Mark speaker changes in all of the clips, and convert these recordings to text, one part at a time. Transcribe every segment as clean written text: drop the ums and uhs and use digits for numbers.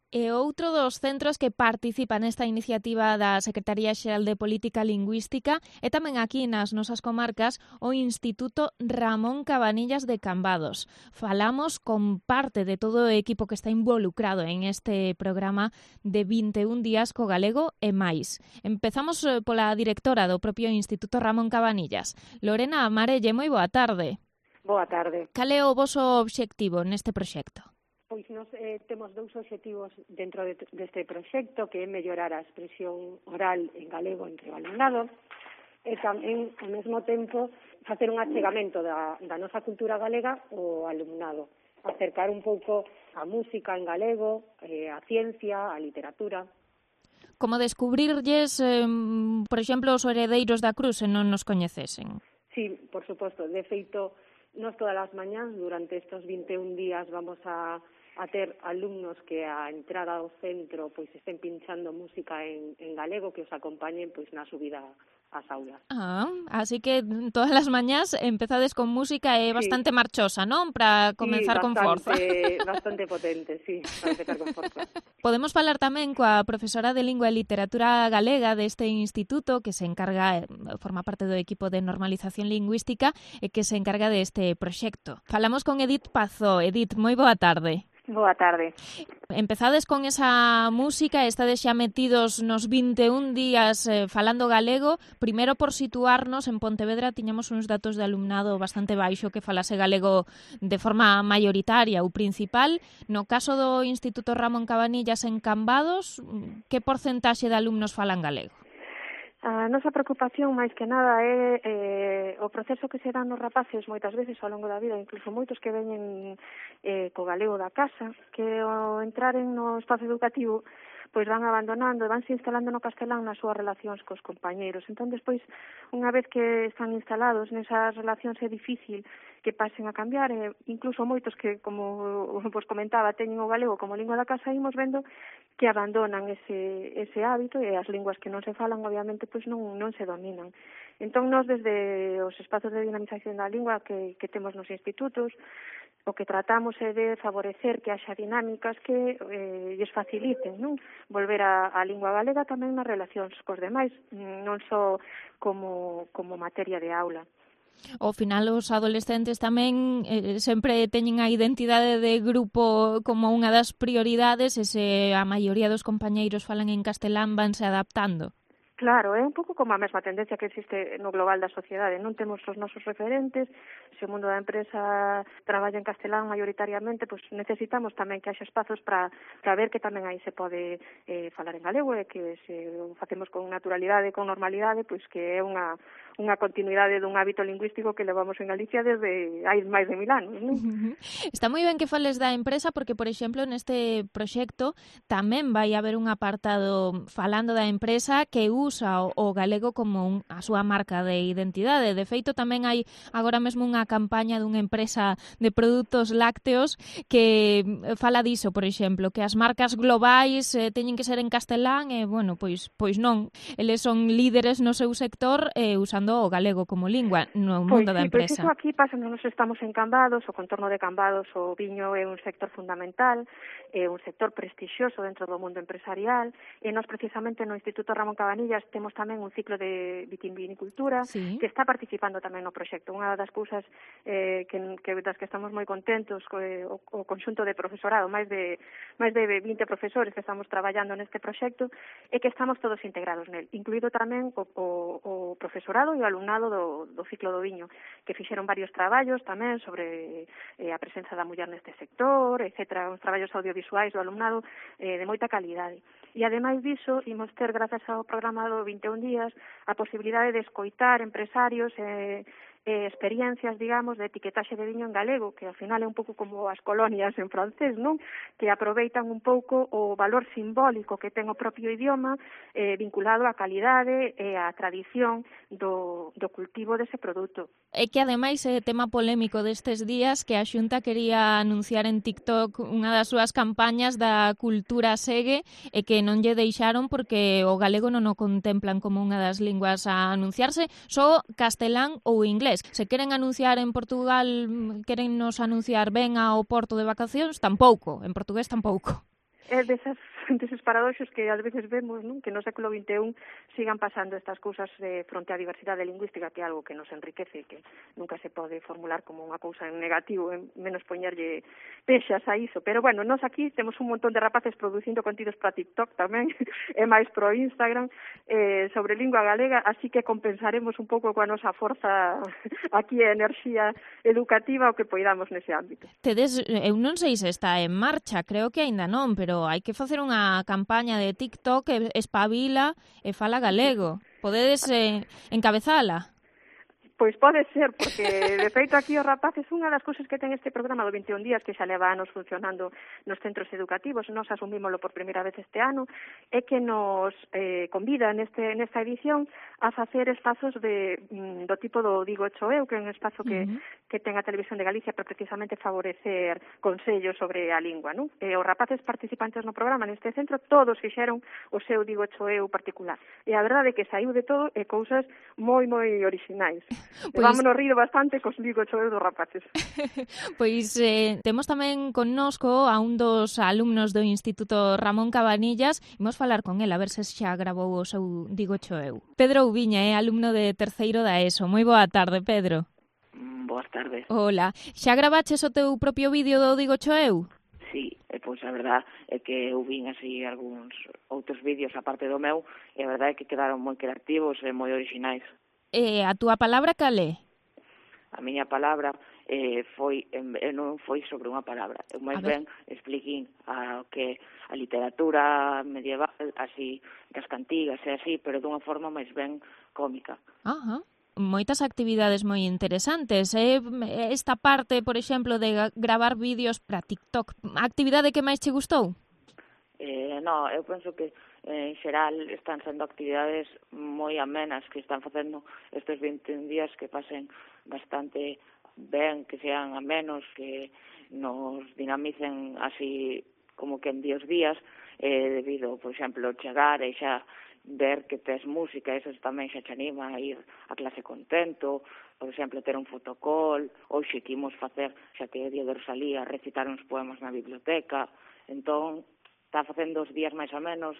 Speaker 1: E outro dos centros que participa nesta iniciativa da Secretaría Xeral de Política Lingüística é tamén aquí nas nosas comarcas o Instituto Ramón Cabanillas de Cambados. Falamos con parte de todo o equipo que está involucrado en este programa de 21 días co galego e máis. Empezamos pola directora do propio Instituto Ramón Cabanillas. Lorena Amarelle, moi boa tarde.
Speaker 2: Boa tarde.
Speaker 1: Cal é o voso obxectivo neste proxecto?
Speaker 2: Pois nós temos dous obxectivos dentro deste proxecto, que é mellorar a expresión oral en galego entre o alumnado e tamén, ao mesmo tempo, facer un achegamento da nosa cultura galega ao alumnado, acercar un pouco a música en galego, a ciencia, a literatura.
Speaker 1: Como descubrirlles, por exemplo, os heredeiros da cruz, se non nos coñecesen.
Speaker 2: Sí, por suposto. De feito, nós todas as mañás, durante estes 21 días, vamos a ter alumnos que a entrada ao centro pois estén pinchando música en galego que os acompañen pois na subida ás aulas.
Speaker 1: Así que todas as mañás empezades con música e bastante marchosa, non? Para comenzar con forza.
Speaker 2: Bastante potente, sí, para empezar con forza.
Speaker 1: Podemos falar tamén coa profesora de Lingua e Literatura Galega deste instituto que se encarga, forma parte do equipo de normalización lingüística e que se encarga deste proxecto. Falamos con Edith Pazó. Edith, moi boa tarde.
Speaker 3: Boa tarde.
Speaker 1: Empezades con esa música, estades xa metidos nos 21 días falando galego. Primeiro, por situarnos, en Pontevedra tiñamos uns datos de alumnado bastante baixo que falase galego de forma maioritaria ou principal. No caso do Instituto Ramón Cabanillas en Cambados, que porcentaxe de alumnos falan galego?
Speaker 3: A nosa preocupación, máis que nada, é o proceso que se dá nos rapaces moitas veces ao longo da vida, incluso moitos que veñen co galego da casa, que ao entraren no espazo educativo pois van abandonando e vanse instalando no castelán nas súas relacións cos compañeiros. Entón, despois, unha vez que están instalados nesas relacións, é difícil que pasen a cambiar, e incluso moitos que, como vos comentaba, teñen o galego como lingua da casa, imos vendo que abandonan ese hábito, e as linguas que non se falan, obviamente, pois non se dominan. Entón, nós, desde os espazos de dinamización da lingua que temos nos institutos, o que tratamos é de favorecer que haxa dinámicas que lles faciliten, non? Volver a lingua galega tamén nas relacións cos demais, non só como materia de aula.
Speaker 1: Ao final, os adolescentes tamén sempre teñen a identidade de grupo como unha das prioridades, e se a maioría dos compañeiros falan en castelán, vanse adaptando.
Speaker 3: Claro, é un pouco como a mesma tendencia que existe no global da sociedade. Non temos os nosos referentes, se o mundo da empresa traballa en castelán maioritariamente, pois necesitamos tamén que haxa espazos para ver que tamén aí se pode falar en galego, e que se o facemos con naturalidade, con normalidade, pois que é unha continuidade dun hábito lingüístico que levamos en Galicia desde hai máis de 1000 anos, non?
Speaker 1: Está moi ben que fales da empresa porque, por exemplo, neste proxecto tamén vai haber un apartado falando da empresa que usa o galego como a súa marca de identidade. De feito, tamén hai agora mesmo unha campaña dunha empresa de produtos lácteos que fala diso, por exemplo, que as marcas globais teñen que ser en castelán e, bueno, pois non. Eles son líderes no seu sector usando o galego como lingua no mundo da empresa.
Speaker 3: Pois iso aquí pasa, nos estamos en Cambados, o contorno de Cambados, o viño é un sector fundamental, é un sector prestixioso dentro do mundo empresarial, e nós precisamente no Instituto Ramón Cabanillas temos tamén un ciclo de vitivinicultura,
Speaker 1: sí,
Speaker 3: que está participando tamén no proxecto. Unha das cousas das que estamos moi contentos o conxunto de profesorado, máis de 20 profesores que estamos traballando neste proxecto, é que estamos todos integrados nel, incluído tamén o profesorado e o alumnado do ciclo do viño, que fixeron varios traballos tamén sobre a presenza da muller neste sector, etcétera, uns traballos audiovisuais do alumnado de moita calidade. E, ademais diso, imos ter, grazas ao programa do 21 días, a posibilidade de escoitar empresarios experiencias, digamos, de etiquetaxe de viño en galego, que ao final é un pouco como as colonias en francés, non? Que aproveitan un pouco o valor simbólico que ten o propio idioma vinculado á calidade e á tradición do cultivo dese produto.
Speaker 1: É que, ademais, é tema polémico destes días que a Xunta quería anunciar en TikTok unha das súas campañas da cultura segue e que non lle deixaron porque o galego non o contemplan como unha das linguas a anunciarse, só castelán ou inglés. Se queren anunciar en Portugal, queren nos anunciar ben ao Porto de vacacións, tampouco, en portugués tampouco.
Speaker 3: É deses paradoxos que ás veces vemos, non? Que no século XXI sigan pasando estas cousas fronte á diversidade lingüística, que é algo que nos enriquece, que nunca se pode formular como unha cousa en negativo, menos poñerlle pexas a iso. Pero, bueno, nós aquí temos un montón de rapaces producindo contidos para TikTok tamén, e máis pro Instagram, sobre lingua galega, así que compensaremos un pouco coa nosa forza aquí e enerxía educativa o que poidamos nese ámbito.
Speaker 1: Tedes, eu non sei se está en marcha, creo que aínda non, pero hai que facer unha campaña de TikTok que espabila e fala galego. Podedes encabezala?
Speaker 3: Pois pode ser, porque de feito aquí os rapaces, unha das cousas que ten este programa do 21 días, que xa leva anos funcionando nos centros educativos, nos asumímolo por primeira vez este ano, é que nos convida nesta edición a facer espazos do tipo do Digo Cho Eu, que é un espazo que ten a Televisión de Galicia para precisamente favorecer consellos sobre a lingua, non? E os rapaces participantes no programa neste centro todos fixeron o seu Digo Cho Eu particular. E a verdade é que saiu de todo e cousas moi orixinais. Pois... Vámonos rir bastante cos Digo Cho Eu dos rapaces.
Speaker 1: Pois temos tamén connosco a un dos alumnos do Instituto Ramón Cabanillas. Imos falar con el a ver se xa grabou o seu Digo Cho Eu. Pedro Ubiña é alumno de terceiro da ESO. Moi boa tarde, Pedro.
Speaker 4: Boas tardes.
Speaker 1: Hola. Xa gravaches o teu propio vídeo do Digo Cho Eu?
Speaker 4: Sí, pois a verdad é que eu vin así algúns outros vídeos aparte do meu e a verdade é que quedaron moi creativos e moi orixinais.
Speaker 1: A túa palabra cal é?
Speaker 4: A miña palabra non foi sobre unha palabra. Eu máis ben expliquín que a literatura medieval, así, das cantigas e así, pero dunha forma máis ben cómica.
Speaker 1: Ajá. Moitas actividades moi interesantes. Esta parte, por exemplo, de gravar vídeos para TikTok, a actividade que máis che gustou?
Speaker 4: No, eu penso que en xeral están sendo actividades moi amenas que están facendo estes 21 días que pasen bastante ben, que sean amenos, que nos dinamicen así como que en días debido, por exemplo, chegar e xa ver que tes música, eso tamén xa te anima a ir a clase contento, por exemplo, ter un fotocall, hoxe que imos facer, xa que é o día de Rosalía, recitar uns poemas na biblioteca, entón está facendo os días máis ou menos,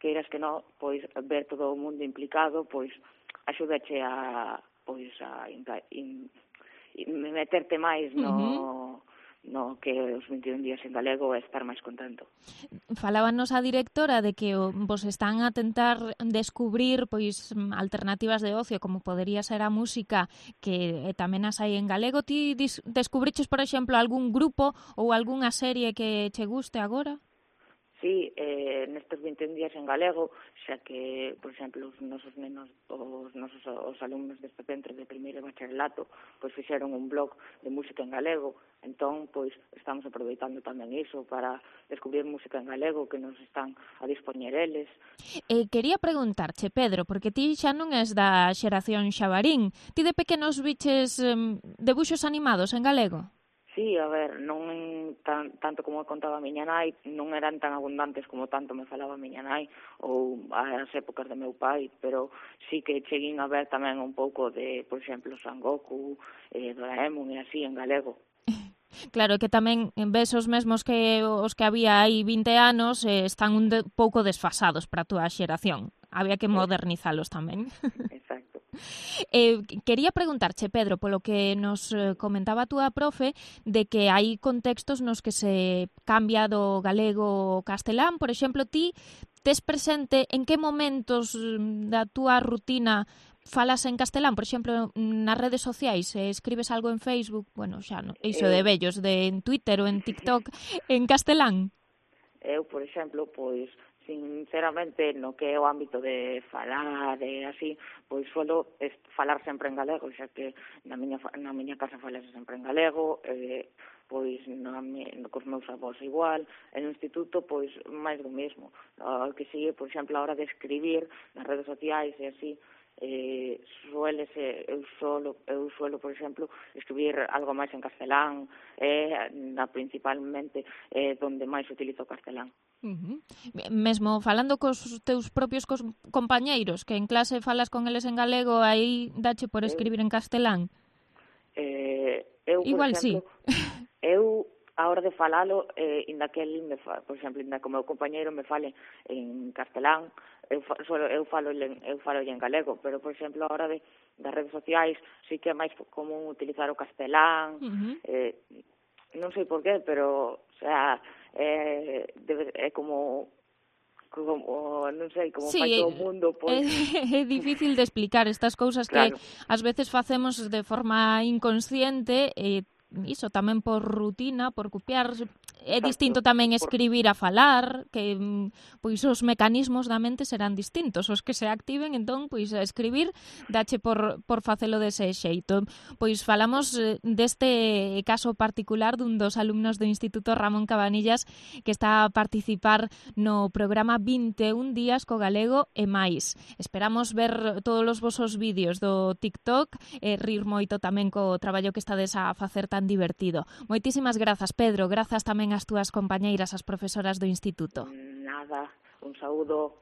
Speaker 4: queiras que non, pois ver todo o mundo implicado, pois axúdache a meterte máis no que os 21 días en galego e estar máis contento.
Speaker 1: Falábanos a directora de que vos están a tentar descubrir pois alternativas de ocio, como podería ser a música, que tamén as hai en galego. Ti descubriches, por exemplo, algún grupo ou algunha serie que che guste agora?
Speaker 4: Sí, nestes 21 días en galego, xa que, por exemplo, os nosos nenos, os alumnos deste centro de primeiro bacharelato, pois fixeron un blog de música en galego, entón, pois, estamos aproveitando tamén iso para descubrir música en galego que nos están a dispoñer eles.
Speaker 1: Quería preguntarche, Pedro, porque ti xa non és da xeración xabarín, ti de pequenos biches debuxos animados en galego?
Speaker 4: Sí, a ver, non tanto como contaba a miña nai, non eran tan abundantes como tanto me falaba a miña nai ou as épocas de meu pai, pero sí que cheguín a ver tamén un pouco de, por exemplo, Son Goku, Doraemon e así en galego.
Speaker 1: Claro que tamén ves os mesmos que os que había hai 20 anos están un pouco desfasados para a túa xeración. Había que modernizalos tamén.
Speaker 4: Exacto.
Speaker 1: Quería preguntarche, Pedro, polo que nos comentaba a túa profe, de que hai contextos nos que se cambia do galego ao castelán. Por exemplo, ti tes presente en que momentos da túa rutina falas en castelán, por exemplo, nas redes sociais, escribes algo en Facebook, bueno, xa non, iso de vellos, en Twitter ou en TikTok, en castelán?
Speaker 4: Eu, por exemplo, pois, sinceramente, no que é o ámbito de falar e así, pois suelo falar sempre en galego, xa que na miña casa falase sempre en galego, pois cos meus avós igual, e no instituto, pois, máis do mesmo. Que sigue, por exemplo, a hora de escribir nas redes sociais e así, eu suelo, por exemplo, escribir algo máis en castelán, principalmente donde máis utilizo o castelán.
Speaker 1: Mesmo falando cos teus propios compañeiros, que en clase falas con eles en galego, aí dache por escribir en castelán?
Speaker 4: Eu,
Speaker 1: igual
Speaker 4: por exemplo,
Speaker 1: sí.
Speaker 4: Eu a hora de falalo, inda que el por exemplo, inda que o meu compañeiro me fale en castelán, eu falo en galego, pero por exemplo, a hora das redes sociais sí que é máis común utilizar o castelán, non sei por qué, pero, o sea, é como non sei, como
Speaker 1: sí,
Speaker 4: fai todo o mundo, pois...
Speaker 1: É difícil de explicar estas cousas
Speaker 4: Claro.
Speaker 1: que ás veces facemos de forma inconsciente e iso tamén por rutina, por copiar. É distinto tamén escribir a falar, que pois os mecanismos da mente serán distintos, os que se activen, entón, pois a escribir dache por facelo dese xeito. Pois falamos deste caso particular dun dos alumnos do Instituto Ramón Cabanillas que está a participar no programa 21 días co galego e máis. Esperamos ver todos os vosos vídeos do TikTok e rir moito tamén co traballo que estades a facer tan divertido. Moitísimas grazas, Pedro, grazas tamén ás túas compañeiras, as profesoras do Instituto.
Speaker 4: Nada, un saúdo.